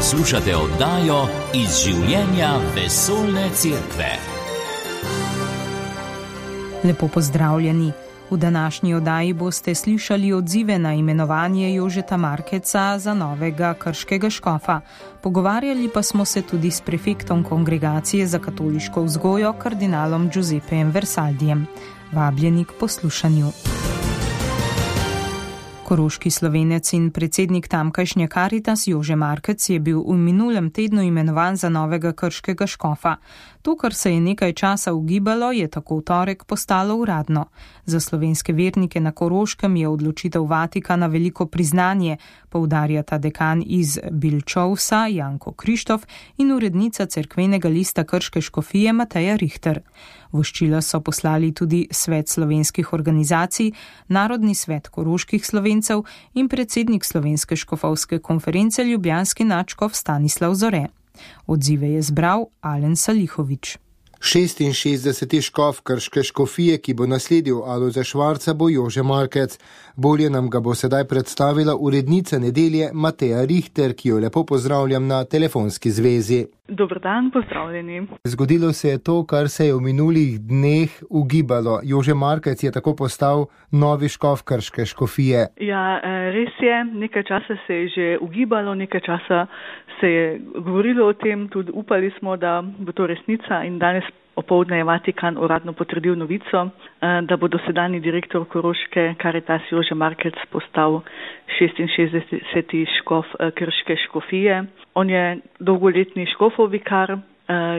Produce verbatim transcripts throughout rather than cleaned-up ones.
Poslušate oddajo Iz življenja vesoljne cerkve. Lepo pozdravljeni. V današnji oddaji boste slišali odzive na imenovanje Jožeta Markeca za novega krškega škofa. Pogovarjali pa smo se tudi s prefektom Kongregacije za katoliško vzgojo, kardinalom Giuseppejem Versaldijem. Vabljeni k poslušanju. Koroški Slovenec in predsednik tamkajšnje Karitas Jože Markec je bil v minulem tednu imenovan za novega krškega škofa. To, kar se je nekaj časa ugibalo, je tako v torek postalo uradno. Za slovenske vernike na Koroškem je odločitev Vatikana veliko priznanje, poudarjata dekan iz Bilčovsa Janko Krištof in urednica cerkvenega lista krške škofije Mateja Richter. Voščila so poslali tudi Svet slovenskih organizacij, Narodni svet koroških Slovencev in predsednik Slovenske škofovske konference ljubljanski nadškof Stanislav Zore. Odzive je zbral Alen Salihovič. šestinšestdeseti škof krške škofije, ki bo nasledil Alojza Švarca, bo Jože Markec. Bolje nam ga bo sedaj predstavila urednica Nedelje Mateja Richter, ki jo lepo pozdravljam na telefonski zvezi. Dober dan, pozdravljeni. Zgodilo se je to, kar se je v minulih dneh ugibalo. Jože Markec je tako postal novi škof krške škofije. Ja, res je. Nekaj časa se je že ugibalo, nekaj časa se je govorilo o tem, tudi upali smo, da bo to resnica, in danes opoldne je Vatikan uradno potrdil novico, da bo dosedanji direktor Koroške Karitas Jože Markec postal šestinšestdeseti škof krške škofije. On je dolgoletni škofov vikar,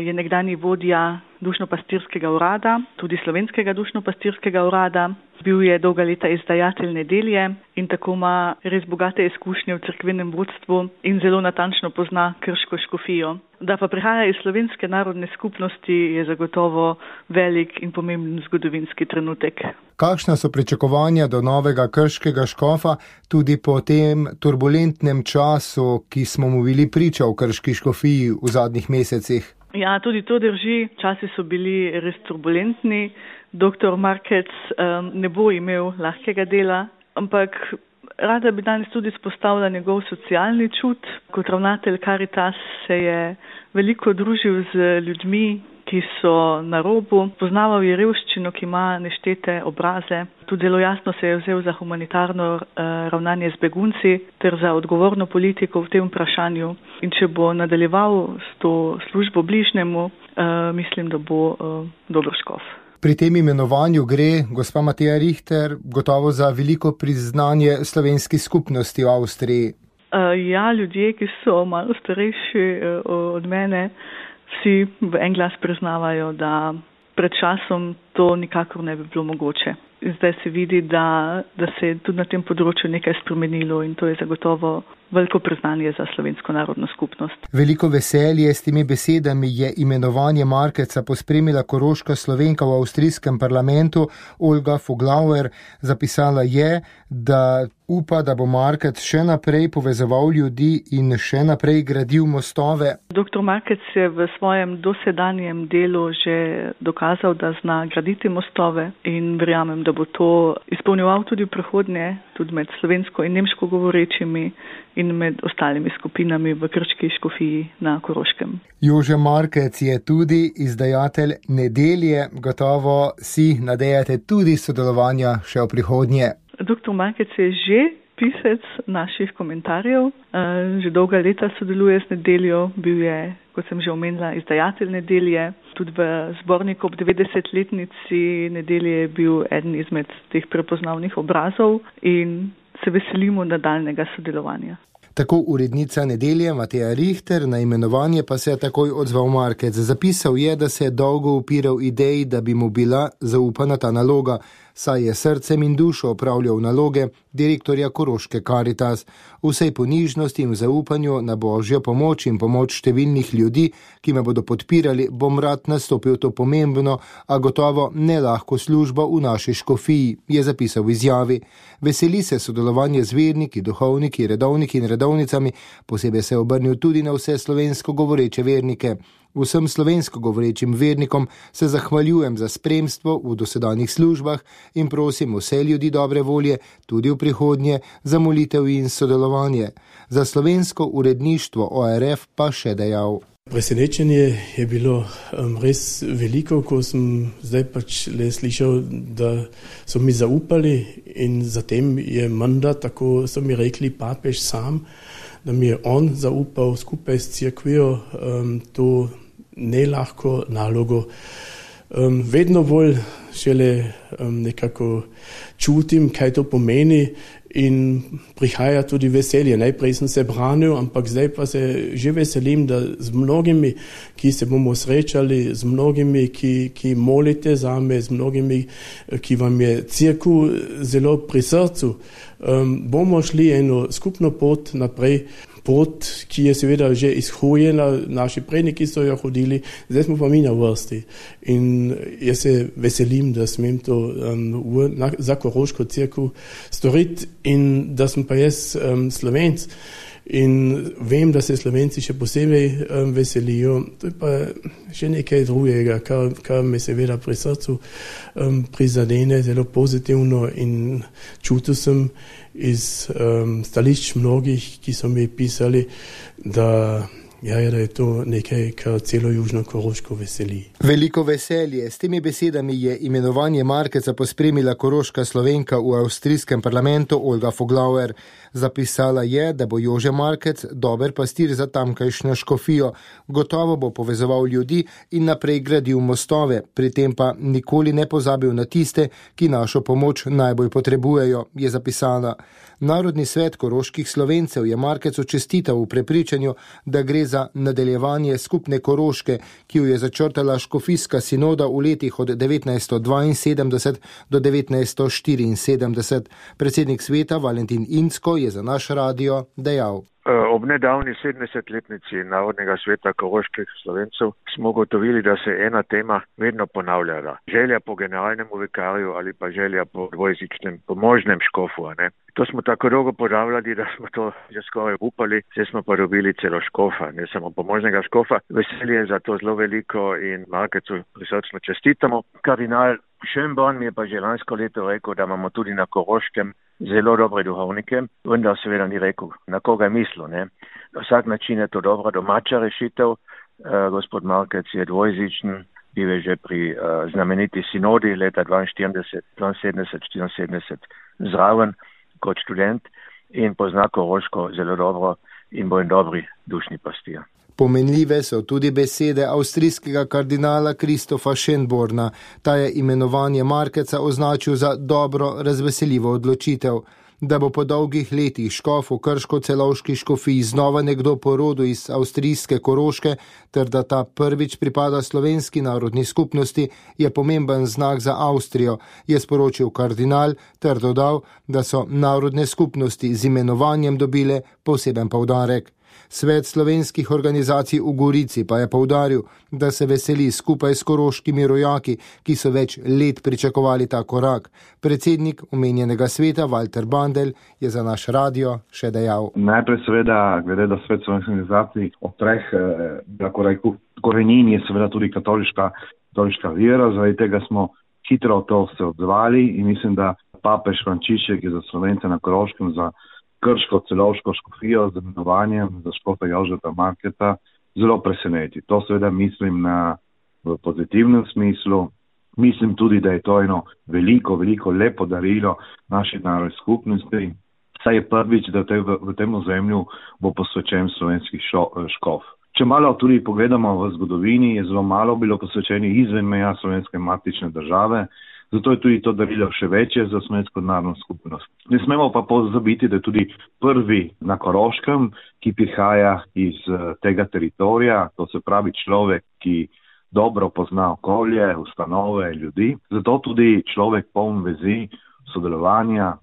je nekdanji vodja dušno-pastirskega urada, tudi slovenskega dušno-pastirskega urada. Bil je dolga leta izdajatelj Nedelje in tako ima res bogate izkušnje v cerkvenem vodstvu in zelo natančno pozna krško škofijo. Da pa prihaja iz slovenske narodne skupnosti, je zagotovo velik in pomemben zgodovinski trenutek. Kakšna so pričakovanja do novega krškega škofa tudi po tem turbulentnem času, ki smo mu bili priča v krški škofiji v zadnjih mesecih? Ja, tudi to drži. Časi so bili res turbulentni. Doktor Markec um, ne bo imel lahkega dela, ampak rada bi danes tudi izpostavila njegov socialni čut. Kot ravnatelj Karitas se je veliko družil z ljudmi, ki so na robu. Poznaval je revščino, ki ima neštete obraze. Tudi zelo jasno se je vzel za humanitarno uh, ravnanje z begunci ter za odgovorno politiko v tem vprašanju. In če bo nadaljeval s to službo bližnjemu, uh, mislim, da bo uh, dober škof. Pri tem imenovanju gre, gospa Mateja Richter, gotovo za veliko priznanje slovenski skupnosti v Avstriji. Uh, ja, ljudje, ki so malo starejši uh, od mene, vsi v en glas priznavajo, da pred časom to nikakor ne bi bilo mogoče. Zdaj se vidi, da, da se je tudi na tem področju nekaj spremenilo in to je zagotovo veliko priznanje za slovensko narodno skupnost. Veliko veselje s temi besedami je imenovanje Markeca pospremila koroška Slovenka v avstrijskem parlamentu Olga Foglauer. Zapisala je, da upa, da bo Markec še naprej povezoval ljudi in še naprej gradil mostove. Doktor Markec je v svojem dosedanjem delu že dokazal, da zna graditi mostove in verjamem, da bo to izpolnjeval tudi v prihodnje, tudi med slovensko in nemško govorečimi in med ostalimi skupinami v krški škofiji na Koroškem. Jože Markec je tudi izdajatelj Nedelje. Gotovo si nadejate tudi sodelovanja še v prihodnje. Doktor Markec je že pisec naših komentarjev. Že dolga leta sodeluje z Nedeljo. Bil je, kot sem že omenila, izdajatelj Nedelje. Tudi v zborniku ob devetdesetletnici Nedelje je bil eden izmed teh prepoznavnih obrazov in se veselimo nadaljnega sodelovanja. Tako urednica Nedelje Mateja Richter, na imenovanje pa se je takoj odzval Markec. Zapisal je, da se je dolgo upiral ideji, da bi mu bila zaupana ta naloga, saj je srcem in dušo opravljal naloge direktorja Koroške Karitas. Vsej ponižnosti in zaupanju na božjo pomoč in pomoč številnih ljudi, ki me bodo podpirali, bom rad nastopil to pomembno, a gotovo ne lahko službo v naši škofiji, je zapisal v izjavi. Veseli se sodelovanje z verniki, duhovniki, redovniki in redovnicami, posebej se je obrnil tudi na vse slovensko govoreče vernike. Vsem slovensko govorečim vernikom se zahvaljujem za spremstvo v dosedanjih službah in prosim vse ljudi dobre volje tudi v prihodnje za molitev in sodelovanje. Za slovensko uredništvo O R F pa še dejal. Presenečenje je bilo um, res veliko, ko sem zdaj pač le slišal, da so mi zaupali in zatem je menda, tako so mi rekli papež sam, da mi je on zaupal skupaj s cerkvijo um, to nelahko nalogo. Um, vedno bolj šele um, nekako čutim, kaj to pomeni in prihaja tudi veselje. Najprej sem se branil, ampak zdaj pa se že veselim, da z mnogimi, ki se bomo srečali, z mnogimi, ki, ki molite zame, z mnogimi, ki vam je cerkev zelo pri srcu, um, bomo šli eno skupno pot naprej. Pot, ki je seveda že izhojena, naši predniki so jo hodili, zdaj smo pa mi na vrsti. In jaz se veselim, da smem to um, v, na, za Koroško cerkev storiti in da sem pa jaz um, Slovenc. In vem, da se Slovenci še posebej um, veselijo. To je pa še nekaj drugega, kar, kar me seveda pri srcu um, prizadene zelo pozitivno in čutil sem iz um, stališč mnogih, ki so mi pisali, da, ja, da je to nekaj, kar celo Južno Koroško veseli. Veliko veselje. S temi besedami je imenovanje Markeca pospremila koroška Slovenka v avstrijskem parlamentu Olga Foglauer. Zapisala je, da bo Jože Markec dober pastir za tamkajšnjo škofijo. Gotovo bo povezoval ljudi in naprej gradil mostove, pri tem pa nikoli ne pozabil na tiste, ki našo pomoč najbolj potrebujejo, je zapisala. Narodni svet koroških Slovencev je Markecu čestital v prepričanju, da gre za nadaljevanje skupne Koroške, ki jo je začrtala škofijska sinoda v letih od devetnajststo dvainsedemdeset do devetnajststo štiriinsedemdeset. Predsednik sveta Valentin Incko je za naš radio dejal. Ob nedavni sedemdesetletnici Narodnega sveta koroških Slovencev smo ugotovili, da se ena tema vedno ponavljala. Želja po generalnem vikarju ali pa želja po dvojezičnem pomožnem škofu. Ne? To smo tako dolgo ponavljali, da smo to že skoraj upali, zdaj smo pa dobili celo škofa, ne samo pomožnega škofa. Veselje je za to zelo veliko in Markecu prisrčno čestitamo. Kardinal Schönborn mi je pa že lansko leto rekel, da imamo tudi na Koroškem zelo dobre duhovnike, vendar seveda ni rekel, na koga je mislil. Ne? Na vsak način je to dobra domača rešitev. Uh, gospod Markec je dvojezičen, bil je že pri uh, znameniti sinodi leta dvainštirideset, dvainsedemdeset, štiriinsedemdeset zraven kot študent in pozna Koroško zelo dobro in bo en dobri dušni pastir. Pomenljive so tudi besede avstrijskega kardinala Kristofa Schönborna. Ta je imenovanje Markeca označil za dobro, razveseljivo odločitev. Da bo po dolgih letih škof v krško-celovški škofiji znova nekdo po rodu iz avstrijske Koroške, ter da ta prvič pripada slovenski narodni skupnosti, je pomemben znak za Avstrijo, je sporočil kardinal ter dodal, da so narodne skupnosti z imenovanjem dobile poseben poudarek. Svet slovenskih organizacij v Gorici pa je poudaril, da se veseli skupaj s koroškimi rojaki, ki so več let pričakovali ta korak. Predsednik omenjenega sveta Walter Bandel je za naš radio še dejal. Najprej seveda, glede da svet slovenskih organizacij od treh eh, korenin je seveda tudi katoliška, katoliška vera, zaradi tega smo hitro to se odzvali in mislim, da papež Frančišek je za Slovence na Koroškem za krško-celovško škofijo z imenovanjem za škofa Jožeta Markeca zelo preseneti. To seveda mislim na v pozitivnem smislu. Mislim tudi, da je to eno veliko, veliko lepo darilo naši narodni skupnosti. Saj je prvič, da te v, v tem ozemlju bo posvečen slovenski šo, škof. Če malo tudi pogledamo v zgodovini, je zelo malo bilo posvečeni izven meja slovenske matične države, zato je tudi to darilo še večje za slovensko narodno skupnost. Ne smemo pa pozabiti, da je tudi prvi na Koroškem, ki prihaja iz tega teritorija, to se pravi človek, ki dobro pozna okolje, ustanove, ljudi. Zato tudi človek poln vezi, sodelovanja,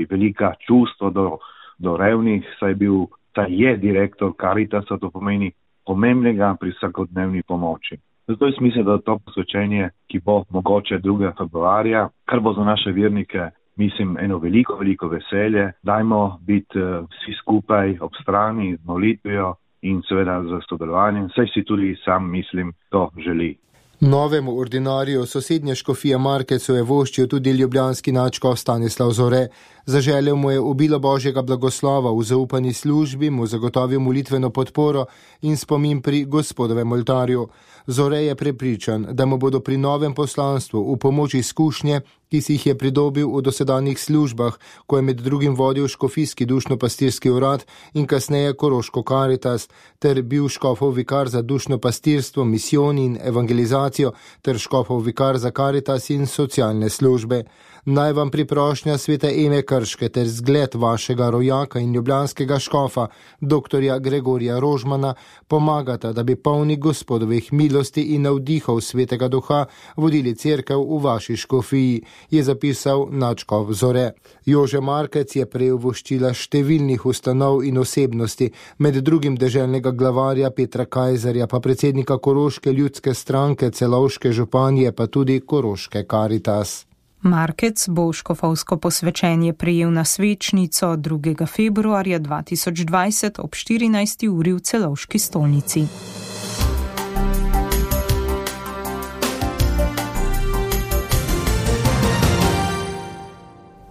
velika čustva do, do revnih, saj, bil, saj je direktor Caritasa, to pomeni pomembnega pri vsakodnevni pomoči. Zato je smisel, da to posvečenje, ki bo mogoče drugega februarja, kar bo za naše vernike, mislim, eno veliko, veliko veselje. Dajmo biti uh, vsi skupaj ob strani z molitvijo in seveda z sodelovanjem, saj si tudi sam mislim, to želi. Novemu ordinariju sosednje škofije Markecu je voščil tudi ljubljanski nadškof Stanislav Zore. Zaželel mu je obilo Božjega blagoslova v zaupani službi, mu zagotovil molitveno podporo in spomin pri Gospodovem oltarju. Zore je prepričan, da mu bodo pri novem poslanstvu v pomoč izkušnje, ki si jih je pridobil v dosedanjih službah, ko je med drugim vodil škofijski dušno-pastirski urad in kasneje Koroško Karitas, ter bil škofov vikar za dušno-pastirstvo, misijon in evangelizacijo, ter škofov vikar za Karitas in socialne službe. Naj vam priprošnja svete Eme Krške ter zgled vašega rojaka in ljubljanskega škofa, doktorja Gregorija Rožmana, pomagata, da bi polni Gospodovih milosti in navdihov svetega duha vodili cerkev v vaši škofiji, je zapisal nadškof Zore. Jože Markec je prejel voščila številnih ustanov in osebnosti, med drugim deželnega glavarja Petra Kajzerja, pa predsednika Koroške ljudske stranke, Celovške županje, pa tudi Koroške Karitas. Markec bo škofovsko posvečenje prejel na svečnico drugega februarja dva tisoč dvajset ob štirinajsti uri v Celovški stolnici.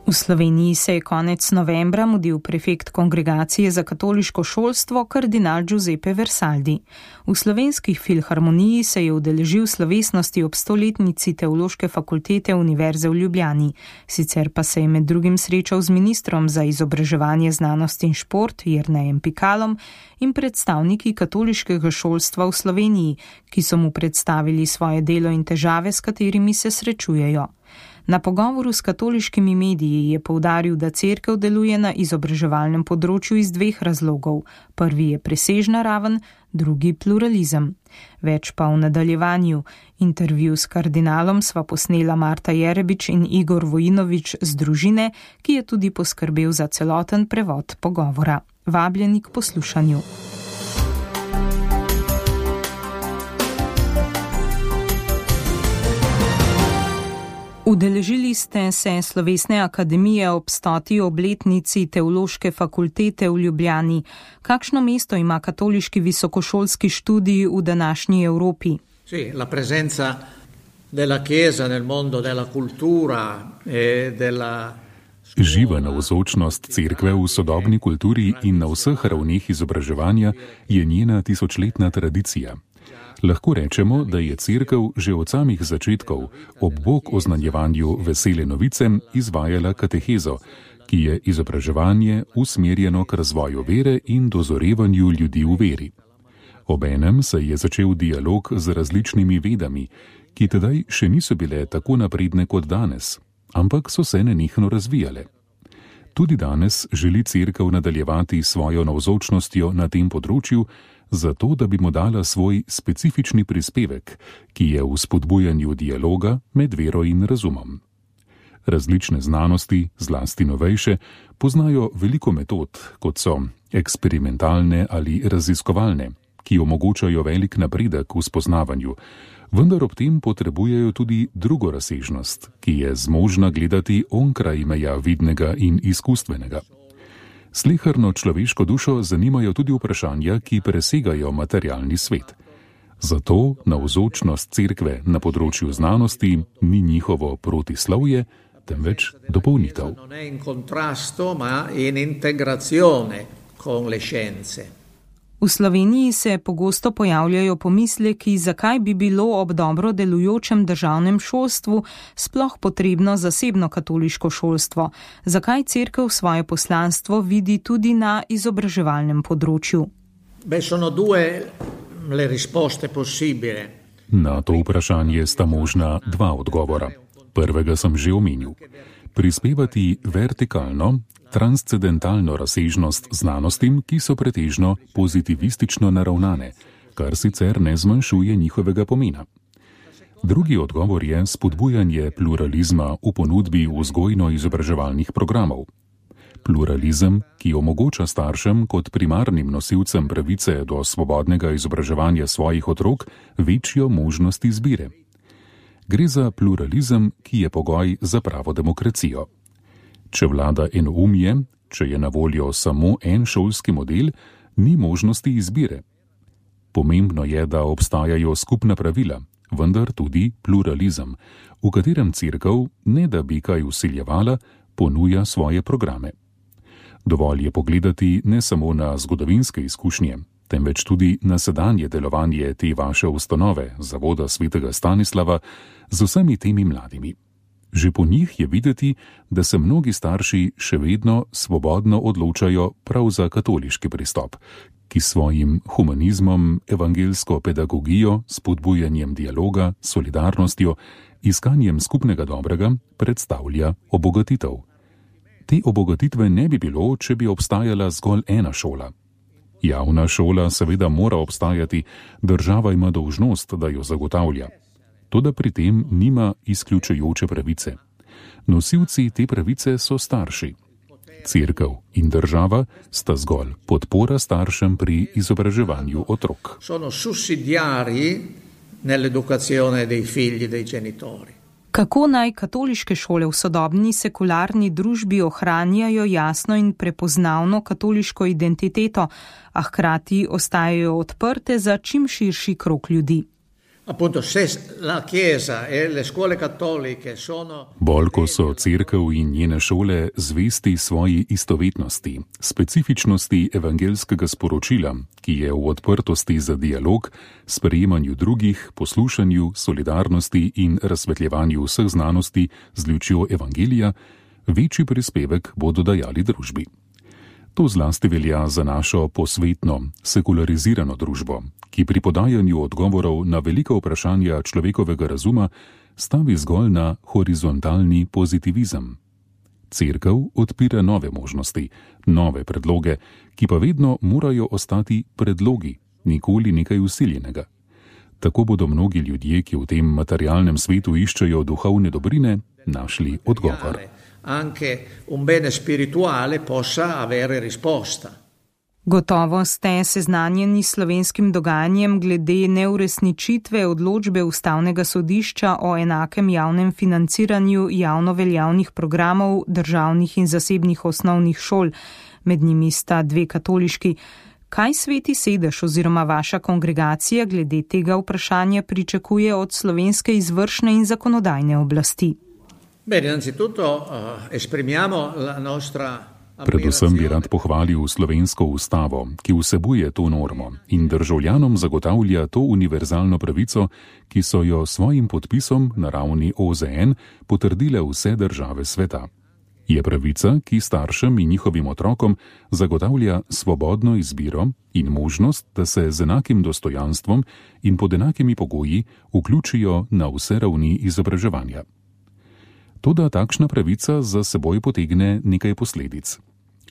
V Sloveniji se je konec novembra mudil prefekt Kongregacije za katoliško šolstvo kardinal Giuseppe Versaldi. V Slovenskih filharmoniji se je udeležil slovesnosti ob stoletnici Teološke fakultete Univerze v Ljubljani. Sicer pa se je med drugim srečal z ministrom za izobraževanje, znanost in šport Jernejem Pikalom in predstavniki katoliškega šolstva v Sloveniji, ki so mu predstavili svoje delo in težave, s katerimi se srečujejo. Na pogovoru s katoliškimi mediji je poudaril, da cerkev deluje na izobraževalnem področju iz dveh razlogov. Prvi je presežna raven, drugi pluralizem. Več pa v nadaljevanju. Intervju s kardinalom sva posnela Marta Jerebič in Igor Vojinovič z družine, ki je tudi poskrbel za celoten prevod pogovora. Vabljeni k poslušanju. Udeležili ste se slovesne akademije ob stoti obletnici Teološke fakultete v Ljubljani. Kakšno mesto ima katoliški visokošolski študij v današnji Evropi? Sì, la presenza della Chiesa nel mondo della cultura e della Živa navzočnost cerkve v sodobni kulturi in na vseh ravneh izobraževanja je njena tisočletna tradicija. Lahko rečemo, da je cerkev že od samih začetkov ob bok oznanjevanju vesele novice izvajala katehezo, ki je izobraževanje usmerjeno k razvoju vere in dozorevanju ljudi v veri. Obenem se je začel dialog z različnimi vedami, ki tedaj še niso bile tako napredne kot danes, ampak so se nenehno razvijale. Tudi danes želi cerkev nadaljevati svojo navzočnostjo na tem področju, zato da bi mu dala svoj specifični prispevek, ki je v spodbujanju dialoga med vero in razumom. Različne znanosti, zlasti novejše, poznajo veliko metod, kot so eksperimentalne ali raziskovalne, ki omogočajo velik napredek v spoznavanju, vendar ob tem potrebujejo tudi drugo razsežnost, ki je zmožna gledati onkraj meja vidnega in izkustvenega. Sleherno človeško dušo zanimajo tudi vprašanja, ki presegajo materialni svet. Zato navzočnost cerkve na področju znanosti ni njihovo protislovje, temveč dopolnitev. V Sloveniji se pogosto pojavljajo pomisleki, zakaj bi bilo ob dobro delujočem državnem šolstvu sploh potrebno zasebno katoliško šolstvo, zakaj cerkev svoje poslanstvo vidi tudi na izobraževalnem področju. Na to vprašanje sta možna dva odgovora. Prvega sem že omenil. Prispevati vertikalno, transcendentalno razsežnost znanostim, ki so pretežno pozitivistično naravnane, kar sicer ne zmanjšuje njihovega pomena. Drugi odgovor je spodbujanje pluralizma v ponudbi vzgojno-izobraževalnih programov. Pluralizem, ki omogoča staršem kot primarnim nosilcem pravice do svobodnega izobraževanja svojih otrok večjo možnost izbire. Gre za pluralizem, ki je pogoj za pravo demokracijo. Če vlada enoumje, če je na voljo samo en šolski model, Ni možnosti izbire. Pomembno je, da obstajajo skupna pravila, vendar tudi pluralizem, v katerem cerkev, ne da bi kaj vsiljevala, ponuja svoje programe. Dovolj je pogledati ne samo na zgodovinske izkušnje, temveč tudi na sedanje delovanje te vaše ustanove, Zavoda svetega Stanislava, z vsemi temi mladimi. Že po njih je videti, da se mnogi starši še vedno svobodno odločajo prav za katoliški pristop, ki svojim humanizmom, evangelsko pedagogijo, spodbujanjem dialoga, solidarnostjo, iskanjem skupnega dobrega predstavlja obogatitev. Te obogatitve ne bi bilo, če bi obstajala zgolj ena šola. Javna šola seveda mora obstajati, država ima dolžnost, da jo zagotavlja. Toda pri tem nima izključujoče pravice. Nosilci te pravice so starši. Cerkev in država sta zgolj podpora staršem pri izobraževanju otrok. Sono sussidiari nell'educazione dei figli dei genitori. Kako naj katoliške šole v sodobni sekularni družbi ohranjajo jasno in prepoznavno katoliško identiteto, a hkrati ostajajo odprte za čim širši krog ljudi? Appunto, se la Chiesa e le scuole cattoliche sono... Bolj ko so cerkev in njene šole zvesti svoji istovetnosti, specifičnosti evangelskega sporočila, ki je v odprtosti za dialog, sprejemanju drugih, poslušanju, solidarnosti in razsvetljevanju vseh znanosti z lučjo evangelija, večji prispevek bodo dajali družbi. To zlasti velja za našo posvetno, sekularizirano družbo, ki pri podajanju odgovorov na velika vprašanja človekovega razuma stavi zgolj na horizontalni pozitivizem. Cerkev odpira nove možnosti, nove predloge, ki pa vedno morajo ostati predlogi, nikoli nekaj vsiljenega. Tako bodo mnogi ljudje, ki v tem materialnem svetu iščejo duhovne dobrine, našli odgovor. Anche un bene spirituale possa avere risposta. Gotovo ste seznanjeni s slovenskim dogajanjem glede neuresničitve odločbe Ustavnega sodišča o enakem javnem financiranju javno veljavnih programov državnih in zasebnih osnovnih šol, med njimi sta dve katoliški. Kaj Sveti sedež oziroma vaša kongregacija glede tega vprašanja pričakuje od slovenske izvršne in zakonodajne oblasti? Bene, innanzitutto uh, esprimiamo la nostra... Predvsem bi rad pohvalil slovensko ustavo, ki vsebuje to normo in državljanom zagotavlja to univerzalno pravico, ki so jo svojim podpisom na ravni O Z N potrdile vse države sveta. Je pravica, ki staršem in njihovim otrokom zagotavlja svobodno izbiro in možnost, da se z enakim dostojanstvom in pod enakimi pogoji vključijo na vse ravni izobraževanja. Toda takšna pravica za seboj potegne nekaj posledic.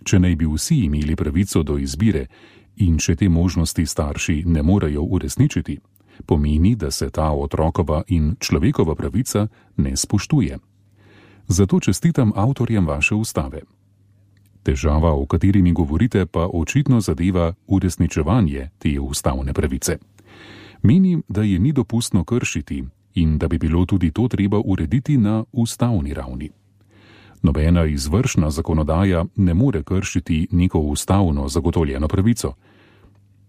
Če naj bi vsi imeli pravico do izbire in če te možnosti starši ne morejo uresničiti, pomeni, da se ta otrokova in človekova pravica ne spoštuje. Zato čestitam avtorjem vaše ustave. Težava, o kateri mi govorite, pa očitno zadeva uresničevanje te ustavne pravice. Menim, da je ni dopustno kršiti in da bi bilo tudi to treba urediti na ustavni ravni. Nobena izvršna zakonodaja ne more kršiti neko ustavno zagotovljeno pravico.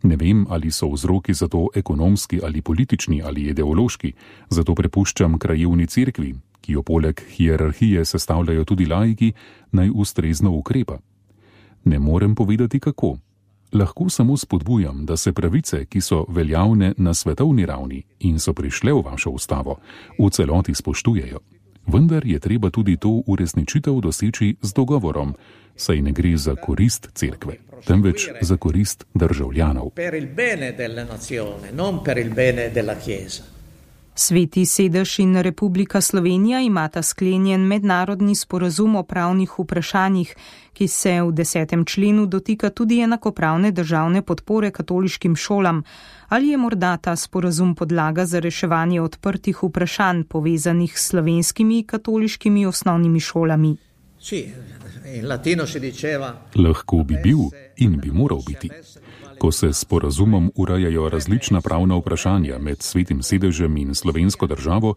Ne vem, ali so vzroki za to ekonomski ali politični ali ideološki, zato prepuščam krajevni cerkvi, ki jo poleg hierarhije sestavljajo tudi laiki, naj ustrezno ukrepa. Ne morem povedati kako. Lahko samo spodbujam, da se pravice, ki so veljavne na svetovni ravni in so prišle v vašo ustavo, v celoti spoštujejo. Vendar je treba tudi to uresničitev doseči z dogovorom, saj ne gre za korist cerkve, temveč za korist državljanov. Per il bene delle nazione, non per il bene della Chiesa. Sveti sedež in Republika Slovenija imata sklenjen mednarodni sporazum o pravnih vprašanjih, ki se v desetem členu dotika tudi enakopravne državne podpore katoliškim šolam. Ali je morda ta sporazum podlaga za reševanje odprtih vprašanj povezanih s slovenskimi katoliškimi osnovnimi šolami? Sì, in latino si diceva... Lahko bi bil in bi moral biti. Ko se s sporazumom urejajo različna pravna vprašanja med Svetim sedežem in slovensko državo,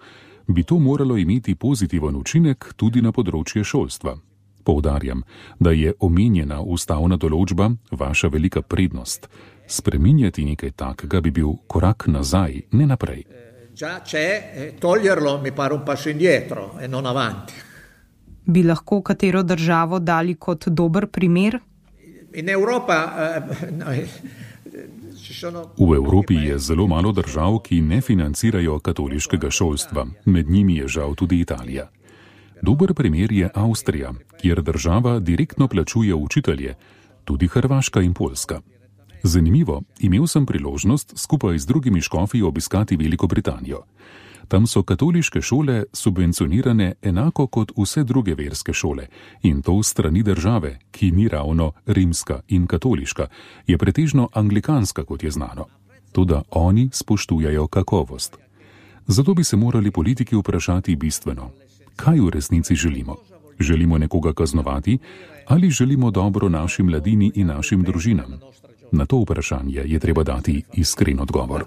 bi to moralo imeti pozitiven učinek tudi na področje šolstva. Poudarjam, da je omenjena ustavna določba vaša velika prednost. Spreminjati nekaj takega bi bil korak nazaj, ne naprej. Già c'è, toglierlo mi pare un passo indietro e non avanti. Bi lahko katero državo dali kot dober primer? In Europa, eh, ci sono... V Evropi je zelo malo držav, ki ne financirajo katoliškega šolstva. Med njimi je žal tudi Italija. Dober primer je Avstrija, kjer država direktno plačuje učitelje, tudi Hrvaška in Poljska. Zanimivo, imel sem priložnost skupaj z drugimi škofi obiskati Veliko Britanijo. Tam so katoliške šole subvencionirane enako kot vse druge verske šole in to strani države, ki ni ravno rimska in katoliška, je pretežno anglikanska, kot je znano. Toda oni spoštujajo kakovost. Zato bi se morali politiki vprašati bistveno, kaj v resnici želimo. Želimo nekoga kaznovati ali želimo dobro naši mladini in našim družinam? Na to vprašanje je treba dati iskren odgovor.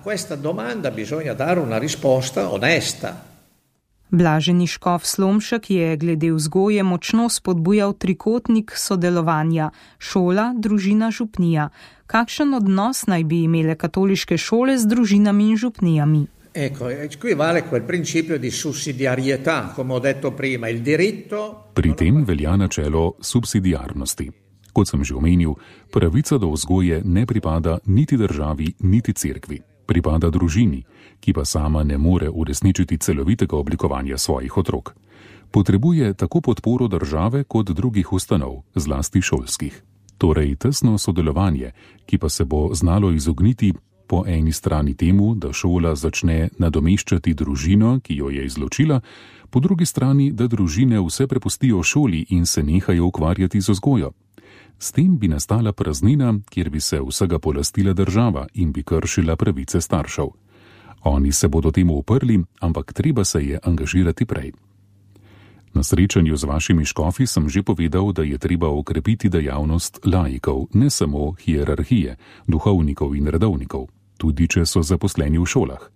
Blaženi škof Slomšek je glede vzgoje močno spodbujal trikotnik sodelovanja šola, družina, župnija. Kakšen odnos naj bi imele katoliške šole z družinami in župnijami? Ecco, qui vale quel principio di sussidiarietà, come ho detto prima, il diritto... Pri tem velja načelo subsidiarnosti. Kot sem že omenil, pravica do vzgoje ne pripada niti državi, niti cerkvi. Pripada družini, ki pa sama ne more uresničiti celovitega oblikovanja svojih otrok. Potrebuje tako podporo države kot drugih ustanov, zlasti šolskih. Torej tesno sodelovanje, ki pa se bo znalo izogniti po eni strani temu, da šola začne nadomeščati družino, ki jo je izločila, po drugi strani, da družine vse prepustijo šoli in se nehajo ukvarjati z vzgojo. S tem bi nastala praznina, kjer bi se vsega polastila država in bi kršila pravice staršev. Oni se bodo temu uprli, ampak treba se je angažirati prej. Na srečanju z vašimi škofi sem že povedal, da je treba okrepiti dejavnost laikov, ne samo hierarhije, duhovnikov in redovnikov, tudi če so zaposleni v šolah.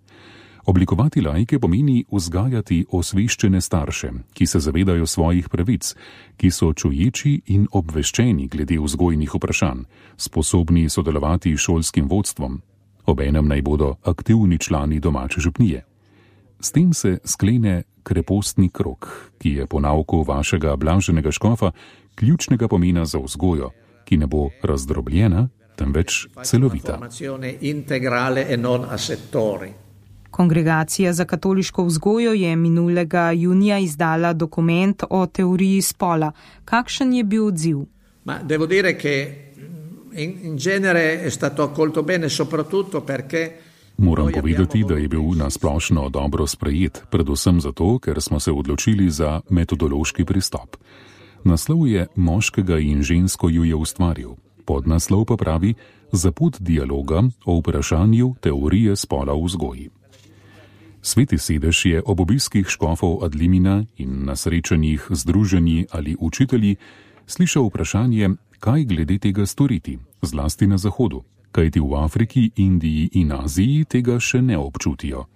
Oblikovati laike pomeni vzgajati osveščene starše, ki se zavedajo svojih pravic, ki so čuječi in obveščeni glede vzgojnih vprašanj, sposobni sodelovati s šolskim vodstvom, obenem naj bodo aktivni člani domače župnije. S tem se sklene krepostni krog, ki je po nauku vašega blaženega škofa ključnega pomena za vzgojo, ki ne bo razdrobljena, temveč celovita. Kongregacija za katoliško vzgojo je minulega junija izdala dokument o teoriji spola. Kakšen je bil odziv? Ma devo dire che in genere è stato accolto bene soprattutto perché Moram povedati, da je bil nasplošno dobro sprejet, predvsem zato, ker smo se odločili za metodološki pristop. Naslov je Moškega in žensko ju je ustvaril. Podnaslov pa pravi Za pot dialoga o vprašanju teorije spola v vzgoji. Sveti sedež je ob obiskih škofov ad limina in na srečanjih združenji ali učitelji slišal vprašanje, kaj glede tega storiti, zlasti na Zahodu, kajti v Afriki, Indiji in Aziji tega še ne občutijo.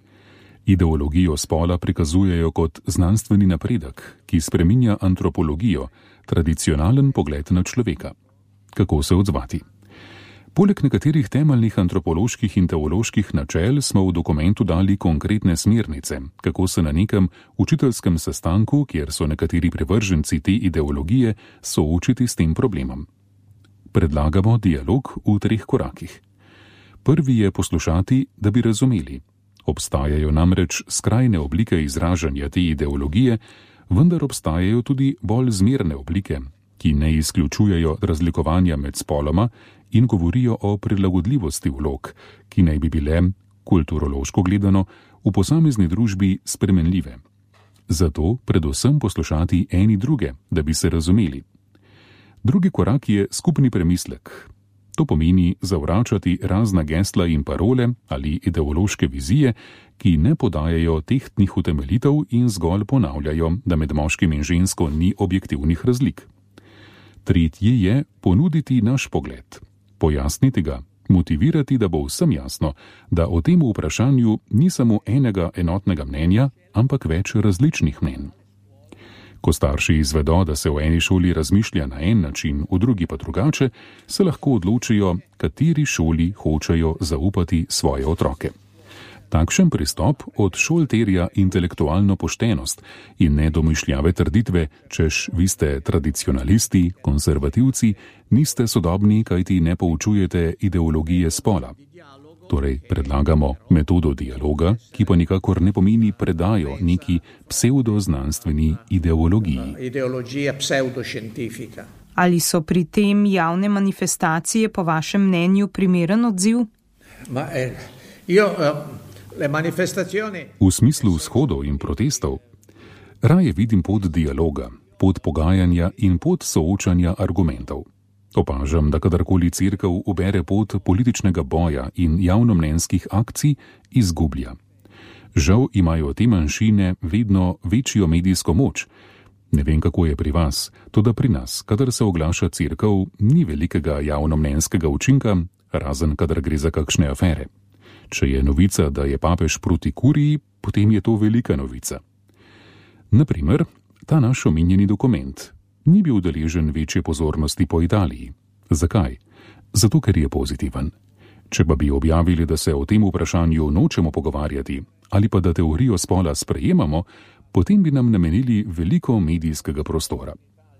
Ideologijo spola prikazujejo kot znanstveni napredek, ki spreminja antropologijo, tradicionalen pogled na človeka. Kako se odzvati? Poleg nekaterih temeljnih antropoloških in teoloških načel smo v dokumentu dali konkretne smernice, kako se na nekem učiteljskem sestanku, kjer so nekateri privrženci te ideologije, soočiti s tem problemom. Predlagamo dialog v treh korakih. Prvi je poslušati, da bi razumeli. Obstajajo namreč skrajne oblike izražanja te ideologije, vendar obstajajo tudi bolj zmerne oblike, ki ne izključujejo razlikovanja med spoloma in govorijo o prilagodljivosti vlog, ki naj bi bile, kulturološko gledano, v posamezni družbi spremenljive. Zato predvsem poslušati eni druge, da bi se razumeli. Drugi korak je skupni premislek. To pomeni zavračati razna gesla in parole ali ideološke vizije, ki ne podajajo tehtnih utemeljitev in zgolj ponavljajo, da med moškim in žensko ni objektivnih razlik. Tretji je ponuditi naš pogled, pojasniti ga, motivirati, da bo vsem jasno, da o tem vprašanju ni samo enega enotnega mnenja, ampak več različnih mnenj. Ko starši izvedo, da se v eni šoli razmišlja na en način, v drugi pa drugače, se lahko odločijo, kateri šoli hočejo zaupati svoje otroke. Takšen pristop od šol terja intelektualno poštenost in ne domišljave trditve, češ vi ste tradicionalisti, konservativci, niste sodobni, kajti ne poučujete ideologije spola. Torej predlagamo metodo dialoga, ki pa nikakor ne pomeni predajo neki pseudoznanstveni ideologiji. Ideologija pseudošentifika. Ali so pri tem javne manifestacije po vašem mnenju primeren odziv? Ma, eh, io, eh... V smislu shodov in protestov raje vidim pot dialoga, pot pogajanja in pot soočanja argumentov. Opažam, da kadarkoli cerkev ubere pot političnega boja in javnomnenjskih akcij, izgublja. Žal imajo te manjšine vedno večjo medijsko moč. Ne vem, kako je pri vas, toda pri nas, kadar se oglaša cerkev, ni velikega javnomnenjskega učinka, razen kadar gre za kakšne afere. Če je novica, da je papež proti kuriji, potem je to velika novica. Naprimer, ta naš omenjeni dokument ni bil deležen večje pozornosti po Italiji. Zakaj? Zato, ker je pozitiven. Če pa bi objavili, da se o tem vprašanju nočemo pogovarjati ali pa da teorijo spola sprejemamo, potem bi nam namenili veliko medijskega prostora.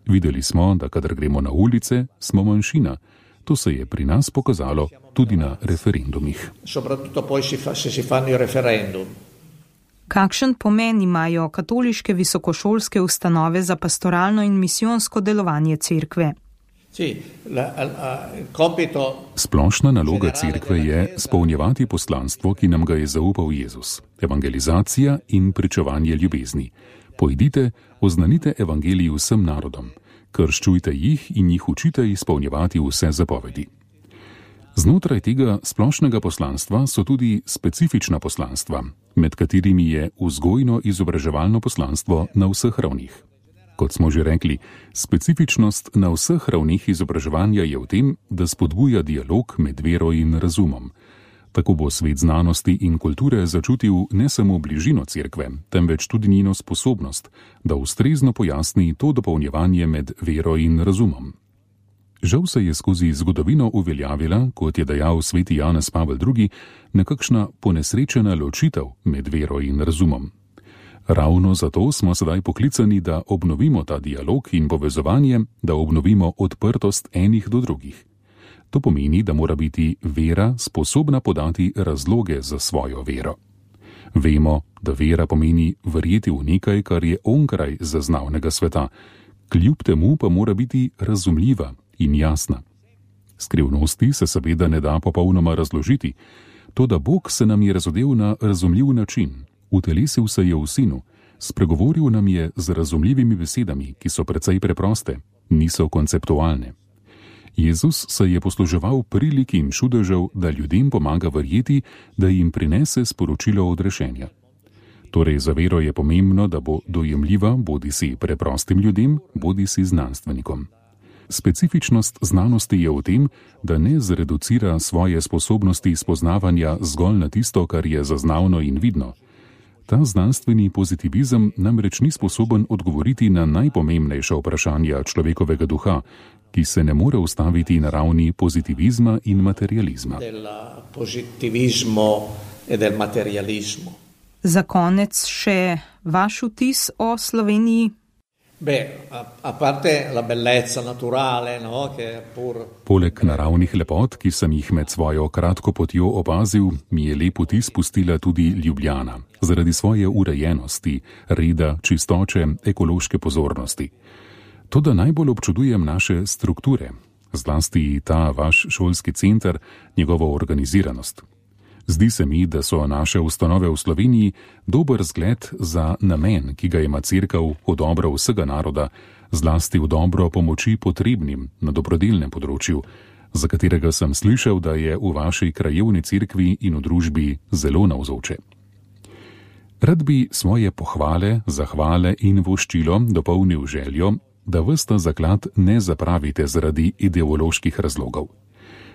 Videli smo, da kadar gremo na ulice, smo manjšina. To se je pri nas pokazalo tudi na referendumih. Kakšen pomen imajo katoliške visokošolske ustanove za pastoralno in misijonsko delovanje cerkve? Splošna naloga cerkve je spolnjevati poslanstvo, ki nam ga je zaupal Jezus. Evangelizacija in pričevanje ljubezni. Pojdite, oznanite evangelij vsem narodom. Krščujte jih in jih učite izpolnjevati vse zapovedi. Znotraj tega splošnega poslanstva so tudi specifična poslanstva, med katerimi je vzgojno-izobraževalno poslanstvo na vseh ravnih. Kot smo že rekli, specifičnost na vseh ravnih izobraževanja je v tem, da spodbuja dialog med vero in razumom. Tako bo svet znanosti in kulture začutil ne samo bližino cerkve, temveč tudi njeno sposobnost, da ustrezno pojasni to dopolnjevanje med vero in razumom. Žal se je skozi zgodovino uveljavila, kot je dejal sveti Janez Pavel drugi, nekakšna ponesrečena ločitev med vero in razumom. Ravno zato smo sedaj poklicani, da obnovimo ta dialog in povezovanje, da obnovimo odprtost enih do drugih. To pomeni, da mora biti vera sposobna podati razloge za svojo vero. Vemo, da vera pomeni verjeti v nekaj, kar je onkraj zaznavnega sveta, kljub temu pa mora biti razumljiva in jasna. Skrivnosti se seveda ne da popolnoma razložiti, toda Bog se nam je razodel na razumljiv način, utelesil se je v Sinu, spregovoril nam je z razumljivimi besedami, ki so precej preproste, niso konceptualne. Jezus se je posluževal prilik in čudežev, da ljudem pomaga verjeti, da jim prinese sporočilo odrešenja. Torej za vero je pomembno, da bo dojemljiva bodisi preprostim ljudem, bodisi znanstvenikom. Specifičnost znanosti je v tem, da ne zreducira svoje sposobnosti spoznavanja zgolj na tisto, kar je zaznavno in vidno. Ta znanstveni pozitivizem namreč ni sposoben odgovoriti na najpomembnejša vprašanja človekovega duha, ki se ne more ustaviti na ravni pozitivizma in materializma. Za konec še vaš vtis o Sloveniji? Poleg naravnih lepot, ki sem jih med svojo kratko potjo opazil, mi je lep vtis pustila tudi Ljubljana, zaradi svoje urejenosti, reda, čistoče, ekološke pozornosti. Toda najbolj občudujem naše strukture, zlasti ta vaš šolski center, njegovo organiziranost. Zdi se mi, da so naše ustanove v Sloveniji dober zgled za namen, ki ga ima cerkev v dobro vsega naroda, zlasti v dobro pomoči potrebnim na dobrodelnem področju, za katerega sem slišal, da je v vaši krajevni cerkvi in v družbi zelo navzoče. Rad bi svoje pohvale, zahvale in voščilo dopolnil željo, da ves ta zaklad ne zapravite zaradi ideoloških razlogov.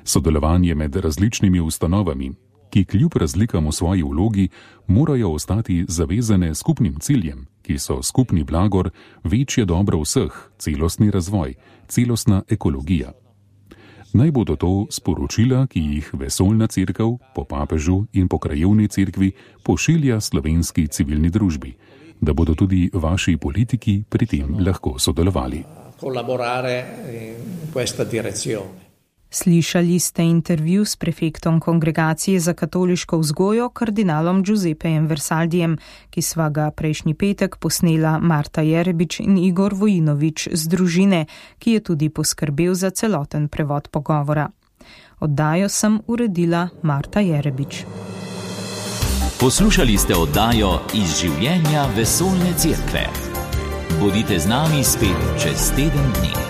Sodelovanje med različnimi ustanovami, ki kljub razlikam v svoji vlogi morajo ostati zavezane skupnim ciljem, ki so skupni blagor, večje dobro vseh, celostni razvoj, celostna ekologija. Naj bodo to sporočila, ki jih vesoljna cerkev po papežu in po krajevni cerkvi pošilja slovenski civilni družbi, da bodo tudi vaši politiki pri tem lahko sodelovali. Slišali ste intervju s prefektom Kongregacije za katoliško vzgojo kardinalom Giuseppejem Versaldijem, ki sva ga prejšnji petek posnela Marta Jerebič in Igor Vojinovič z družine, ki je tudi poskrbel za celoten prevod pogovora. Oddajo sem uredila Marta Jerebič. Poslušali ste oddajo Iz življenja vesoljne cerkve. Bodite z nami spet čez teden dni.